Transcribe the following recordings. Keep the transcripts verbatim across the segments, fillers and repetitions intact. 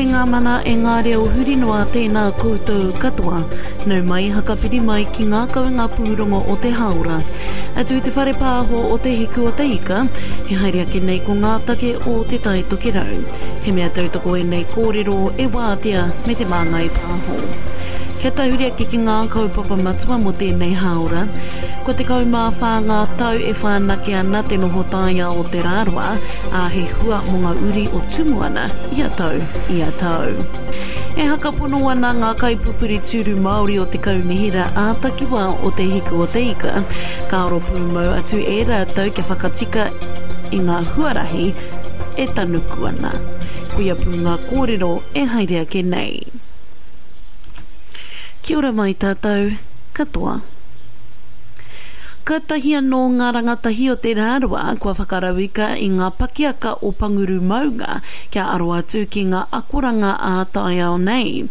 E ngā mana, e ngā reo huri noa tēnā koutou katoa. Nau mai, hakapiri mai ki ngā kawenga pūrongo o te hāora. Atu i te whare pāho o Te Hiku o Te Ika, e haere ake nei ko ngā take o Te Tai Tokerau. He mea tautoko ēnei kōrero e Wātea me Te Māngai Pāho. Kia tahuri ake ki ngā kaupapa matua mō tēnei hāora, kua tekau mā whā ngā tau e whanake ana te noho taiao o Te Rarawa, ā, he hua mō ngā uri o Tumuana ia tau, ia tau. E hakapono ana ngā kaipupuri tūru Māori o te Kaunihera ā-Takiwā o Te Hiku o Te Ika, ka aro pūmau atu e rātou kia whakatika i ngā huarahi e tanuku ana. Koia pū ngā kōrero e haere ake nei. Kia ora mai tātou katoa. Kātahi anō ngā rangatahi o Te Rarawa kua whakarauika i ngā pakiaka o Panguru Maunga kia aro atu ki ngā akoranga ā-taiao nei.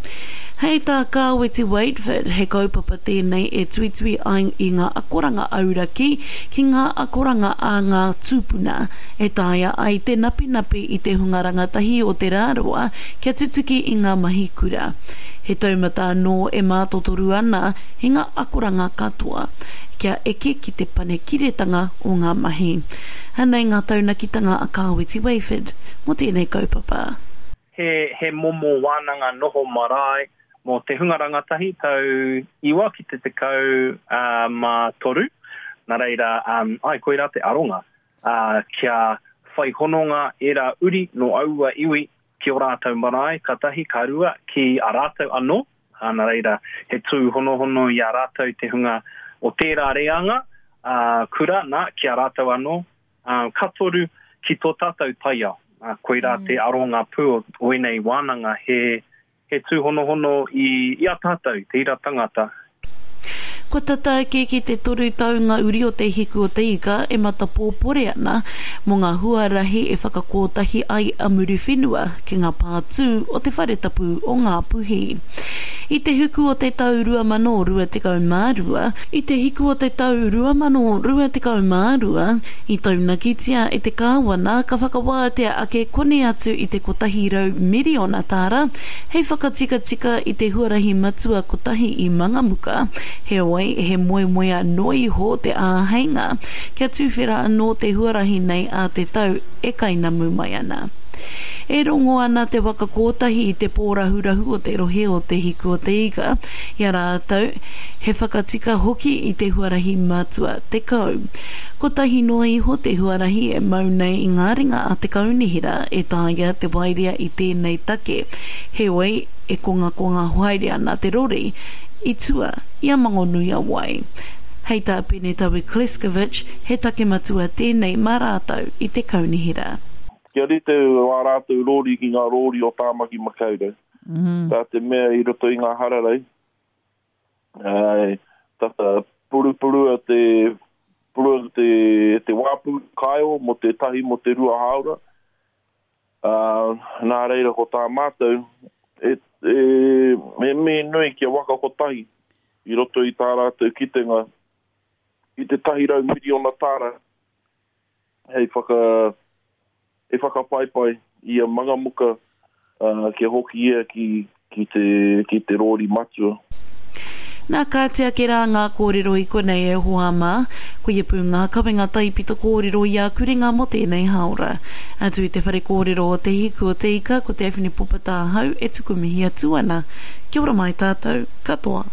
Hei tā Kāweti Waetford, he kaupapa tēnei e tuitui ai i ngā akoranga auraki ki ngā akoranga a ngā tūpuna, e taea ai te napinapi i te hunga rangatahi o Te Rarawa kia tutuki i ngā mahi kura. He taumata anō e mātotoru ana i ngā akoranga katoa, kia eke ki te panekiretanga o ngā mahi. Anei ngā taunakitanga a Kāweti Waetford mō tēnei kaupapa. He, he momo wānanga noho marae mō te hunga rangatahi tau iwa ki te tekau uh, mā toru. Nā reira, um, ai, koirā te aronga, uh, kia whai hononga ērā uri no aua iwi ki o rātou marae, ka tahi, ka rua, ki a rātou anō. Uh, nā reira, he tūhonohono i a rātou te hunga o tērā reanga, uh, kura, nā, ki a rātou anō. Uh, ka toru, ki tō tātou taiao. Uh, koirā mm. te aronga pū o, o ēnei wānanga, he, he tūhonohono i, i a tātou, te ira tangata. Kua tata ake ki te toru tau ngā uri o Te Hiku o Te Ika e matapōpore ana mō ngā huarahi e whakakōtahi ai a Muriwhenua ki ngā pātū o te whare tapu o Ngāpuhi. I te huku o te tau rua mano rua tekau mā rua, i te hiku o te tau rua mano rua tekau mā rua, i taunakitia e te kāwana ka whakawātea ake koni atu i te kotahi rau miriona tāra hei whakatikatika i te huarahi matua kotahi i Mangamuka, heoi he moemoea noa iho te āheinga kia tuwhera anō te huarahi nei a te tau e kainamu mai ana. E rongo ana te waka kōtahi i te pōrahurahu o te rohe o Te Hiku o Te Ika, i a rātou he whakatika hoki i te huarahi matua tekau. Kotahi noa iho te huarahi e mau nei i ngā ringa a te kaunihera e taea te waerea i tēnei take, heoi e kongakonga haere ana te rori i tua i a Mangonui-a-Wai. Hei tā Penetaui Kleskovic, he take matua tēnei mā rātou i te kaunihera. Kia rite wā rātou rōri ki ngā rōri o Tāmaki Makaurau. Mm. Tā te mea i roto i ngā hararei, ai, tata purupurua te, purua te, te wāpu kaeo mō te tahi mō te rua hāora. Uh, nā reira ko tā mātou, e, e, e mihi nui kia waka kotahi i roto i tā rātou kitenga i te tahi rau miriona tāra hei whaka e whakapaipai i a Mangamuka uh, kia hoki ia ki, ki, te, ki te rōri matua. Nā kāti ake rā ngā kōrero i konei e hoa mā, koia pū ngā kawenga taipito kōrero i a Kuringa mō tēnei hāora. Atu i te whare kōrero o Te Hiku o Te Ika, ko Daphne Popa tāhau e tuku mihi atu ana. Kia ora mai tātou katoa.